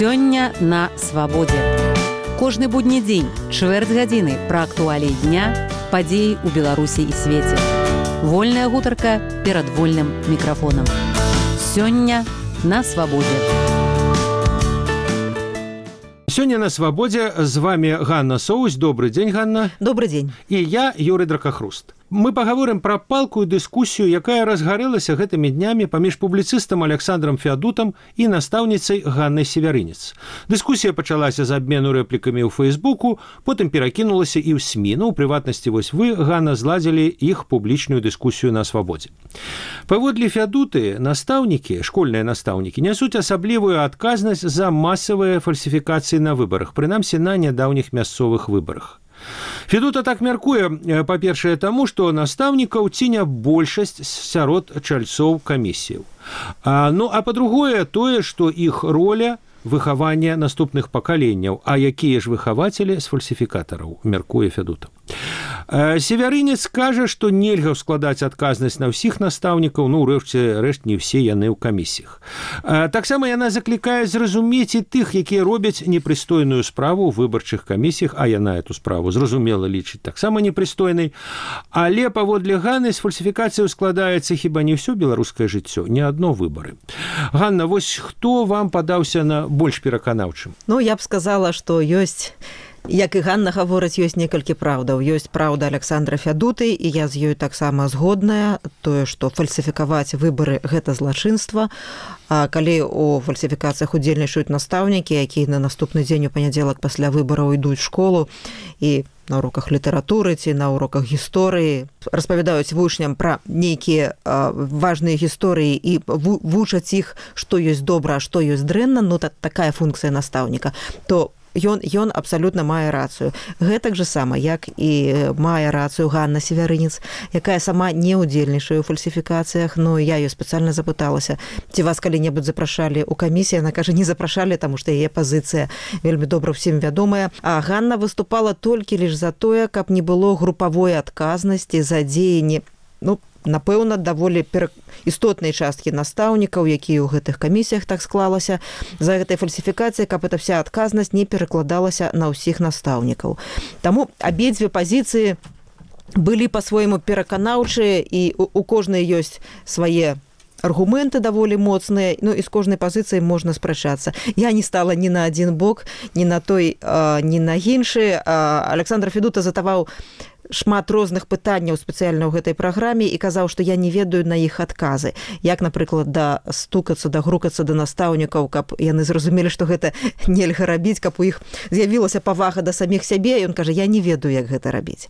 Сёння на свабодзе. Кожны будні дзень, чвэрць гадзіны пра актуаліі дня, падзеі ў Беларусі і свеце. Вольная гутарка перад вольным мікрафонам. Сёння на свабодзе. Сёння на свабодзе з вами Ганна Соусь. Добрый дзень, Ганна. Добрый дзень. І я, Юрый Дракахруст. Мы пагаворым пра палкую дыскусію, якая разгарэлася гэтымі днямі паміж публіцыстам Александром Феадутам і настаўніцай Ганнай Севярынец. Дыскусія пачалася з абмену рэплікамі ў Фэйсбуку, потым перакінулася і ў СМІ. У прыватнасці, вось вы, Ганна, зладзілі іх публічную дыскусію на свабодзе. Паводле Феадуты, настаўнікі, школьныя настаўнікі, нясуць асаблівую адказнасць за масавыя фальсіфікацыі на выбарах, прынамсі на нядаўніх мясцовых выбарах. Федута так мяркуе, па-першае, таму, што настаўнікаў ці не большасць сярод чальцоў камісіяў. А па-другое, тое, што іх роля выхавання наступных пакаленняў, а якія ж выхавацелі з фальсіфікатараў, мяркуе Федута. Севярынец кажа, што нельга складаць адказнасць на ўсіх настаўнікаў, ўрэшце рэшт не ўсе яны ў камісіях. Таксама яна заклікае зразумець і тых, якія робяць непрыстойную справу ў выбарчых камісіях, а яна эту справу зразумела лічыць таксама непрыстойнай. Але паводле Ганны з фальсіфікацыяў складаецца хіба не ўсё беларускае жыццё, не адно выбары. Ганна, вось хто вам падаўся на больш пераканаўчым? Я б сказала, што ёсць, як і Ганна гаворыць, ёсць некалькі праўдаў. Ёсць праўда Александра Феадуты, і я з ёй таксама згодная, тое, што фальсіфікаваць выбары – гэта злачынства. А калі у фальсіфікацыях удзельнічаюць настаўнікі, якія на наступны дзень у панядзелак пасля выбараў ідуць у школу і на уроках літаратуры ці на уроках гісторыі распавядаюць вучням пра нейкія важныя гісторыі і вучаць іх, што ёсць добра, а што ёсць дрэнна, такая функцыя настаўніка, то ён абсалютна мае рацыю. Гэтак жа сама, як і мае рацыю Ганна Севярынец, якая сама не ўдзельнічае ў фальсіфікацыях, я ёй спецыяльна запыталася, ці вас калі-небудзь запрашалі ў камісіі, яна кажа, не запрашалі, таму што яе пазіцыя вельмі добра ўсім вядомая. А Ганна выступала толькі лишь за тое, каб не было групавой адказнасці за дзеянні, напэўна, даволі істотнай часткі настаўнікаў, якія ў гэтых камісіях так склалася, за гэтай фальсіфікацыі, каб эта вся адказнасць не перакладалася на ўсіх настаўнікаў. Таму абедзве пазіцыі былі па-свойму пераканаўчыя, і у кожнай ёсць свае аргументы даволі моцныя, і з кожнай пазіцыі можна спрачацца. Я не стала ні на адзін бок, ні на той, ні на іншы. Александр Федута задаваў шмат розных пытанняў спецыяльна ў гэтай праграме і казаў, што я не ведаю на іх адказы. Як, напрыклад, стукацца, грукацца да настаўнікаў, каб яны зразумелі, што гэта нельга рабіць, каб у іх з'явілася павага да саміх сябе. Ён кажа, я не ведаю, як гэта рабіць.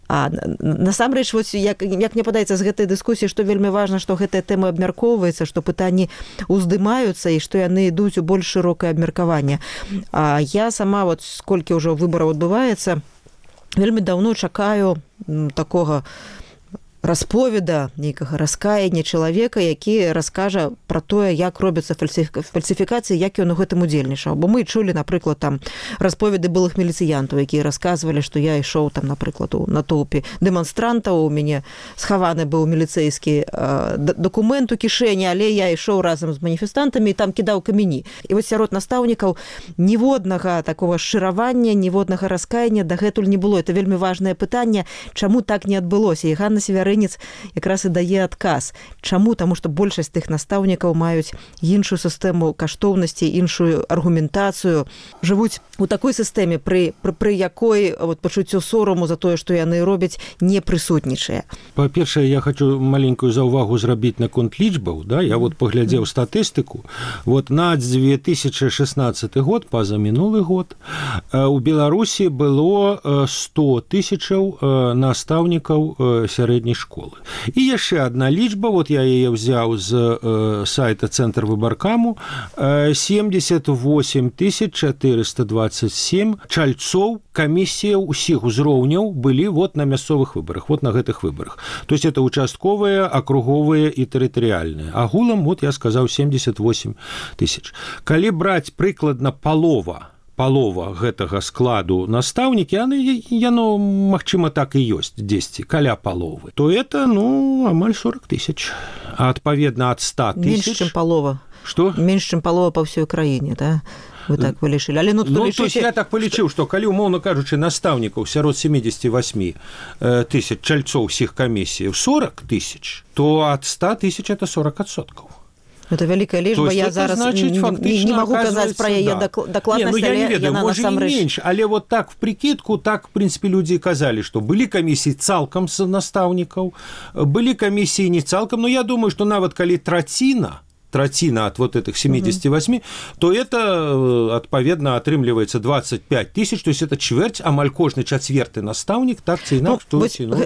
А насамрэч, як мне падаецца з гэтай дыскусіі, што вельмі важна, што гэтая тэма абмяркоўваецца, што пытанні ўздымаюцца і што яны ідуць у больш шырокае абмеркаванне. А я сама, сколькі ўжо выбараў адбываецца, вельмі даўно чакаю такога расповеда, нейкага раскаяння чалавека, які раскажа пра тое, як робяцца фальсіфікацыі, як ён у гэтым удзельнічаў. Бо мы чулі, напрыклад, там расповеды былых міліцыянтаў, якія расказвалі, што я ішоў там, напрыклад, у натоўпе дэманстрантаў, у мяне схаваны быў міліцэйскі дакумент у кішэні, але я ішоў разам з маніфестантамі і там кідаў камені. І вось сярод настаўнікаў ніводнага такого шчыравання, ніводнага раскаяння дагэтуль не было. Это вельмі важнае пытанне, чаму так не адбылося. І Ганна Севярынец якраз і дае адказ. Чаму? Таму што большасць тых настаўнікаў маюць іншую сістэму каштоўнасці, іншую аргументацыю, жывуць у такой сістэме, пры якой пачуццё сораму за тое, што яны робяць, не прысутнічае. Па-першае, я хочу маленькую заўвагу зрабіць наконт лічбаў. Я паглядзеў статыстыку. На 2016 год, пазамінулы год, у Беларусі было 100 тысячаў настаўнікаў сярэдняй школы. І яшчэ адна лічба, я яе ўзяў з сайта Цэнтр выбаркаму, 78 427 чальцоў камісіяў усіх узроўняў былі на мясцовых выбарах, на гэтых выбарах. То есть это участковыя, акруговыя і тэрытарыяльныя. Агулам, я сказаў, 78 тысяч. Калі браць прыкладна палова гэтага складу настаўнікі, яно, магчыма, так і ёсць дзесьці, каля паловы, то это, амаль 40 тысяч. А адпаведна ад 100 тысяч... Менш, чым палова. Што? Менш, чым палова па ўсёй краіне, да? вы так вылічылі. Але то есть я так палічыў, што калі, умоўна кажучы, настаўнікаў сярод 78 тысяч чальцоў усіх камісій 40 тысяч, то ад 100 тысяч это 40%. Это вялікая лічба, я зараз не магу казаць пра яе дакладнасць, але яна насамрэч менш, але вот так в прикидку, так в принципе людзі казалі, што былі камісіі цалкам з настаўнікаў, былі камісіі не цалкам, но я думаю, што нават калі траціна от вот этих 78, то это, отповедно, атрымліваецца 25 тысяч, то есть это чвэрць, амаль кожны чацверты настаўнік, так ці інакш.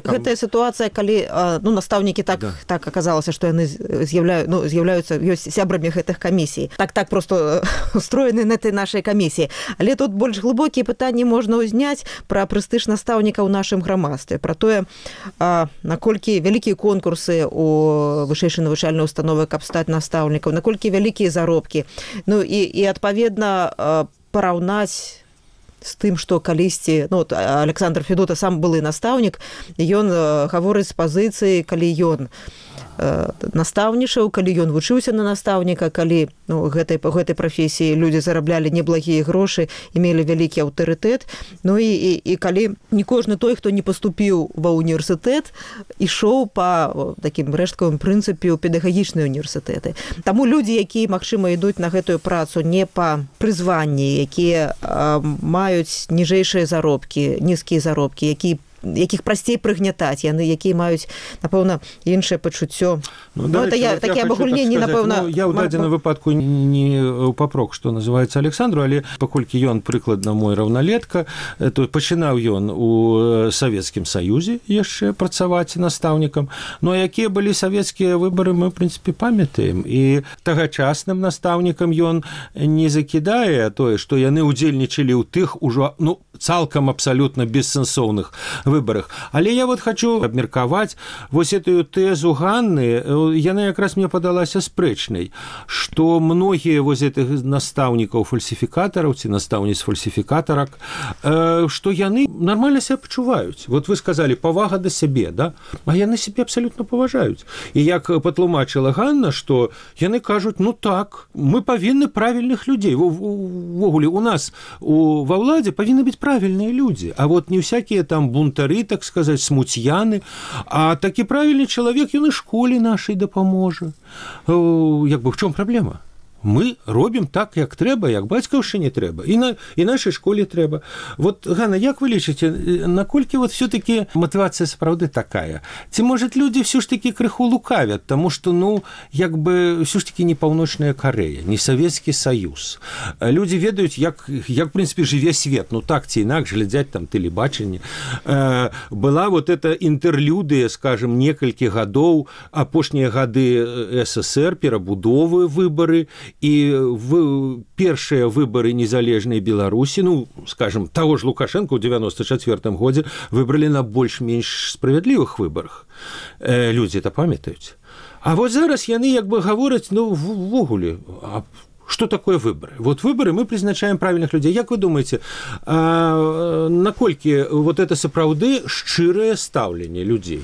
Гэтая сітуацыя, калі настаўнікі так аказалася, што яны з'яўляюцца ёсць сябрамі гэтых камісій. Так просто устроены на этой нашай камісіі. Але тут больш глыбокія пытанні можна ўзняць пра прэстыж настаўніка ў нашым грамадстве, пра тое, наколькі вялікія конкурсы у вышэйшай навучальнай установы, каб стаць настаўнікам, наколькі вялікія заробкі. Ну і адпаведна параўнаць з тым, што калісьці, Александр Федута сам былы настаўнік, ён гаворыць з пазіцыі, калі ён настаўнічаў, калі ён вучыўся на настаўніка, калі гэтай прафесіі людзі зараблялі неблагія грошы і мелі вялікі аўтарытэт. Ну і калі не кожны той, хто не паступіў ва ўніверсітэт, ішоў па такім рэшткавым прынцыпе ў педагагічныя універсітэты. Таму людзі, якія, магчыма, ідуць на гэтую працу не па прызванні, якія маюць ніжэйшыя заробкі, нізкія заробкі, якіх прасцей прыгнятаць, яны, якія маюць, напэўна, іншае пачуццё. Такі абагульненні, напэўна... Я ў дадзеным выпадку не папрок, што называецца Александру, але паколькі ён прыкладна мой раўналетка, то пачынаў ён у Савецкім Саюзе яшчэ працаваць настаўнікам. Ну, а якія былі савецкія выбары, мы, в прынцыпе, памятаем. І тагачасным настаўнікам ён не закідае тое, што яны ўдзельнічалі ў тых ужо, цалкам абсалютна бессэнсоўных выборах. Але я вот хочу абмеркаваць вось эту тэзу Ганны, яна якраз мне падалася спрэчнай, што многія вось этых настаўнікаў-фальсіфікатараў ці настаўніц-фальсіфікатарак, што яны нармальна себя пачуваюць. Вот вы сказалі, павага да сябе, да? А яны сябе абсалютна паважаюць. І як патлумачыла Ганна, што яны кажуць, так, мы павінны правільных людзей. Ввогуле, у нас ва ўладзе павінны быць правильные люди, а вот не всякие там бунтары, так сказать, смутьяны, а таки правильный человек, он и школе нашей дапаможа. В чём проблема? Мы робім так, як трэба, як бацькаўшчыне трэба, і нашай школе трэба. Вот, Ганна, як вы лічыце, наколькі вот все-таки мотивация сапраўды такая? Ці, может, люди все ж таки крыху лукавят, тому что, все ж таки не Паўночная Карэя, не Савецкі Саюз. Люди ведаюць, як в принципе, жыве свет, так ці інакш, глядзяць там тэлебачанне. Была вот эта інтерлюдыя, скажем, некалькі гадоў, апошнія гады СССР, перабудовы, выбары, і першыя выбары незалежнай Беларусі, скажем, таго ж Лукашенко ў 94 годзе выбралі на больш-менш справядлівых выбарах. Людзі это памятаюць. А вот зараз яны гавораць, ввогуле, что такое выборы? Вот выборы мы призначаем правильных людей. Як вы думаете, наколькі вот это сапраўды шчырае стаўленне людзей?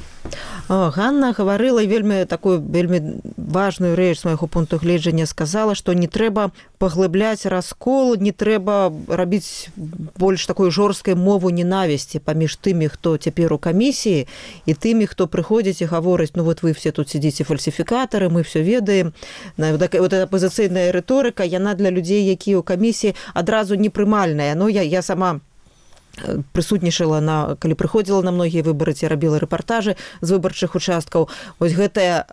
Ганна гаварыла вельмі важную рэч з майго пункту гледжання, сказала, што не трэба паглыбляць раскол, не трэба рабіць больш такой жорсткай мову ненавісці паміж тымі, хто цяпер у камісіі, і тымі, хто прыходзіць і гаворыць, вот вы все тут сидзіце фальсіфікатары, мы все ведаем. Вот эта апозіцыйная рыторыка, яна для людзей, якія ў камісіі, адразу непрымальная. Я сама прысутнічала калі прыходзіла на многія выбары ці рабіла рэпартажы з выбарчых участкаў. Вось гэтае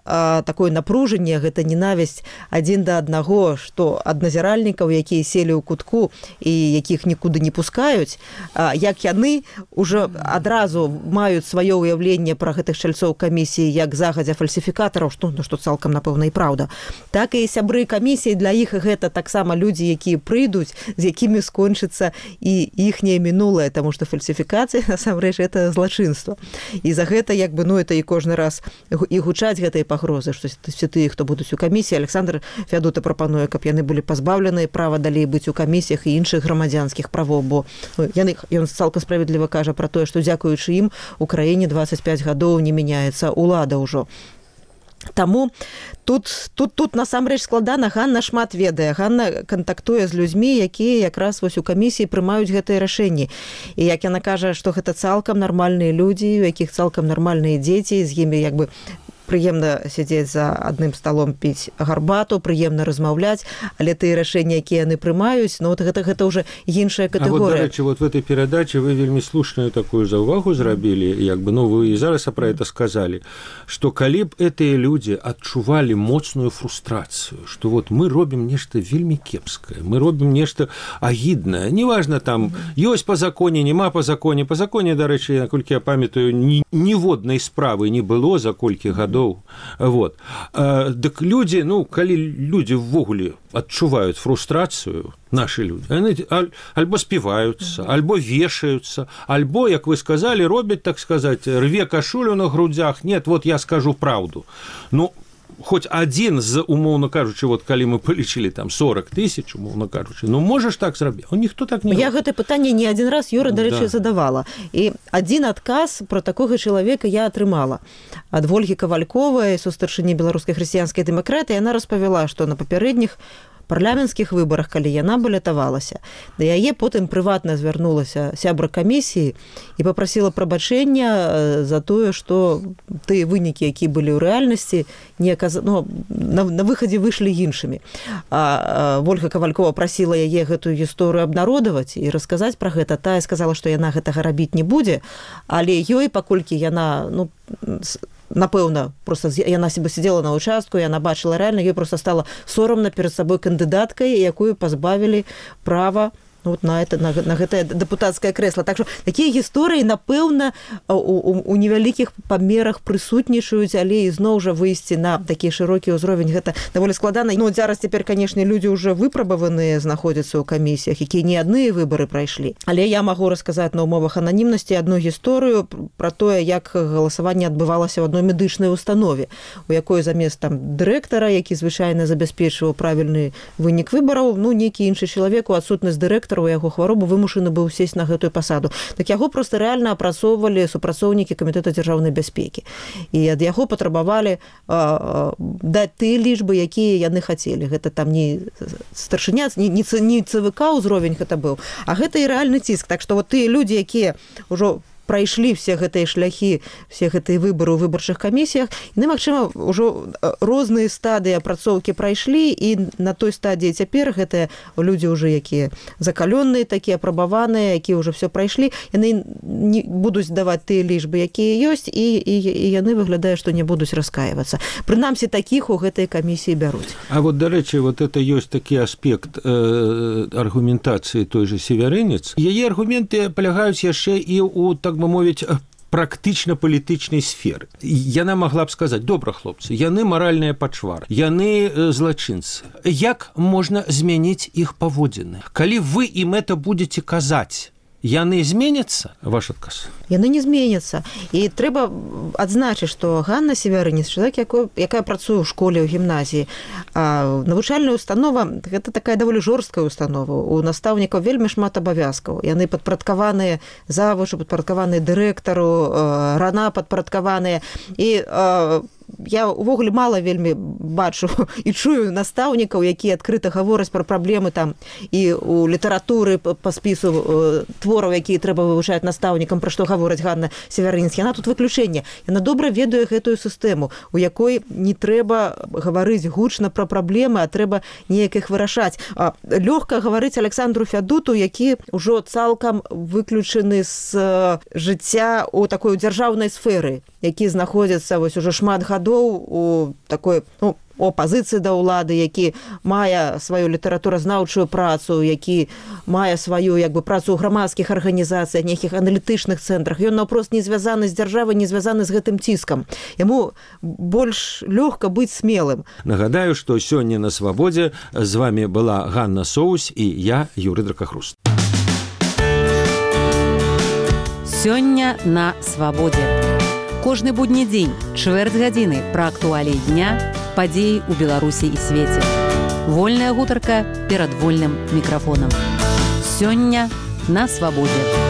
такое напружанне, гэта ненавісць адзін да аднаго, што ад назіральнікаў, якія селі ў кутку і якіх нікуды не пускаюць, як яны ўжо адразу маюць сваё ўяўленне пра гэтых чальцоў камісіі як загадзя фальсіфікатараў, што цалкам, напэўна, і праўда. Так і сябры камісіі, для іх гэта таксама людзі, якія прыйдуць, з якімі скончыцца і іхняе мінулае, потому что фальсификация, насамрэч, это злачынство. І за гэта, это і кожны раз і гучаць гэтыя пагрозы, што все тыя, хто будуць у камісіі. Александр Фядута прапануе, каб яны былі пазбаўленыя права далей быць у камісіях і іншых грамадзянскіх правоў, бо ён цалкам справядліва кажа пра тое, што дзякуючы ім у краіне 25 гадоў не мяняецца ўлада ўжо. Таму тут насамрэч складана. Ганна шмат ведае. Ганна кантактуе з людзьмі, якія якраз вось у камісіі прымаюць гэтыя рашэнні. І як яна кажа, што гэта цалкам нармальныя людзі, у якіх цалкам нармальныя дзеці, з імі як бы прыемна сядзець за адным сталом, піць гарбату, прыемна размаўляць, але тыя рашэнні, якія яны прымаюць, ну вот гэта ўжо іншая катэгорыя. А вот, дарэчы, вот в этой перадаче вы вельмі слушную такую заўвагу зрабілі, як бы, ну, вы і зараз пра это сказалі, што калі б гэтыя людзі адчувалі моцную фрустрацыю, што вот мы робім нешта вельмі кепскае, мы робім нешта агіднае, неважна там, ёсць па законе, няма па законе, дарэчы, наколькі я памятаю, ніводнай справы не было за колькі гадоў. Вот. Дык людзі, ну, калі людзі ўвогуле адчуваюць фрустрацыю, нашы людзі, яны альбо співаюцца, альбо вешаюцца, альбо, як вы сказалі, робяць, так сказаць, рве кашулю на грудзях. Нет, вот я скажу праўду. Ну, хоць адзін з, умоўна кажучы, вот калі мы палічылі там 40 000, умоўна кажучы, ну можаш так зрабіць? Ніхто так не робіць. Я гэта пытанне не адзін раз, Юра, дарэчы, задавала. І адзін адказ пра такога чалавека я атрымала. Ад Вольгі Кавальковай, сустарчыні беларускай хрысціянскай дэмакратыі, яна распавяла, што на папярэдніх парламенцкіх выбарах, калі яна балятавалася, да яе потым прыватна звярнулася сябра камісіі і папрасіла прабачэння за тое, што тыя вынікі, якія былі ў рэальнасці, на выхадзе выйшлі іншымі. А Вольга Кавалькова прасіла яе гэтую гісторыю абнародаваць і расказаць пра гэта. Тая сказала, што яна гэтага рабіць не будзе, але ёй, паколькі яна, ну, напэўна, просто яна себе сидела на участку, яна бачыла рэальна, ёй просто стала сорамна перад сабой кандыдаткай, якую пазбавілі права вот на гэтае дэпутацкае крэсла. Так што такія гісторыі, напэўна, у невялікіх памерах прысутнічаюць, але ізноў жа выйсці на такі шырокі ўзровень гэта даволі складана. Ну, зараз цяпер, канешне, людзі ўжо выпрабаваныя знаходзяцца ў камісіях, якія не адныя выбары прайшлі. Але я магу расказаць на ўмовах ананімнасці адну гісторыю пра тое, як галасаванне адбывалася ў адной медычнай установе, у якой замест там дырэктара, які звычайна забяспечваў правільны вынік выбараў, ну, нейкі іншы чалавек у адсутнасць дырэктара у яго хваробу вымушаны быў сесть на гэтую пасаду. Так яго проста рэальна апрацоўвалі супрацоўнікі камітэта дзяржаўнай бяспекі. І ад яго патрабавалі даць тыя лічбы, якія яны хацелі. Гэта там не старшыня, не ЦВК ўзровень гэта быў, а гэта і рэальны ціск. Так што вот тыя людзі, якія ўжо прайшлі все гэтыя шляхі, все гэтыя выбары ў выбарчых камісіях, яны, магчыма, ўжо розныя стадыі апрацоўкі прайшлі, і на той стадыі цяпер гэтыя людзі ўжо, якія закалённыя, такія апрабаваныя, якія ўжо все прайшлі, яны не будуць даваць тыя лічбы, якія ёсць, і яны выглядае, што не будуць раскаивацца. Прынамсі, такіх у гэтай камісіі бяруць. А вот, дарэчы, вот это ёсць такі аспект аргументацыі той же Севярынец. Яе аргументы палягаюць яшчэ і у, так бы мовіць, практычна палітычнай сферы. Яна магла б сказаць: добра, хлопцы, яны маральныя пачвары, яны злачынцы. Як можна змяніць іх паводзіны? Калі вы ім это будете казаць, яны зменяцца? Ваш адказ? Яны не зменяцца. І трэба адзначыць, што Ганна Севярынец, чалавек, якая працуе ў школе, ў гімназіі, навучальная установа – гэта такая даволі жорсткая установа. У настаўнікаў вельмі шмат абавязкаў. Яны падпарадкаваныя завучу, падпарадкаваныя дырэктару, рана падпарадкаваныя. І я увогуле мала вельмі бачу і чую настаўнікаў, якія адкрыта гавораць пра праблемы там і у літаратуры па спісу твораў, якія трэба вывучаць настаўнікам, пра што гавораць Ганна Севярынец. Яна тут выключэнне. Яна добра ведае гэтую сістэму, у якой не трэба гаварыць гучна пра праблемы, а трэба неяк іх вырашаць. Лёгка гаварыць Александру Фядуту, які ўжо цалкам выключаны з жыцця у такой дзяржаўнай сферы, які знаходзяцца вось ужо шмат гадоў у такой, ну, опазіцыі да ўлады, які мае сваю літаратуразнаўчую працу, які мае сваю, як бы, працу ў грамадскіх арганізацыях, нейкіх аналітычных цэнтрах. Ён наўпрост не звязаны з дзяржавай, не звязаны з гэтым ціскам. Яму больш лёгка быць смелым. Нагадаю, што сёння на Свабодзе з вами была Ганна Соусь і я, Юрый Дракахруст. Сёння на Свабодзе. Кожны будні дзень, чвэрць гадзіны пра актуаліі дня, падзеі ў Беларусі і свеце. Вольная гутарка перад вольным мікрафонам. Сёння на Свабодзе.